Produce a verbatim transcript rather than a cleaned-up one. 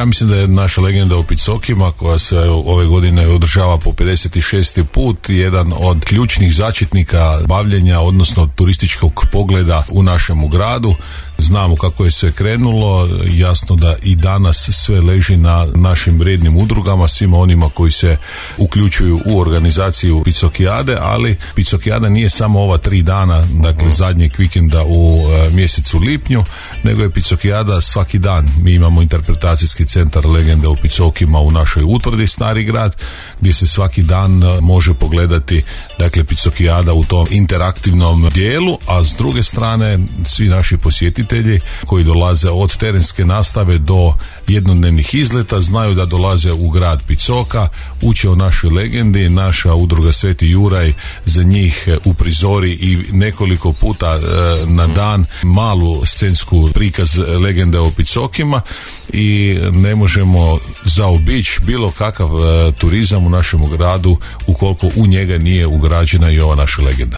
ja mislim da je naša legenda o Picokima, koja se ove godine održava po pedeset šesti put, jedan od ključnih začetnika bavljenja, odnosno turističkog pogleda u našemu gradu. Znamo kako je sve krenulo, jasno da i danas sve leži na našim vrijednim udrugama, svima onima koji se uključuju u organizaciju Picokijade, ali Picokijada nije samo ova tri dana, dakle zadnjeg vikenda u e, mjesecu lipnju, nego je Picokijada svaki dan. Mi imamo interpretacijski centar legende o Picokima u našoj utvrdi Stari grad, gdje se svaki dan može pogledati, dakle, Picokijada u tom interaktivnom dijelu, a s druge strane svi naši posjetitelji koji dolaze od terenske nastave do jednodnevnih izleta znaju da dolaze u grad Picoka, uče o našoj legendi. Naša udruga Sveti Juraj za njih uprizori i nekoliko puta e, na dan malu scensku prikaz legende o Picokima i ne možemo zaobići bilo kakav e, turizam u našem gradu ukoliko u njega nije ugrađena i ova naša legenda.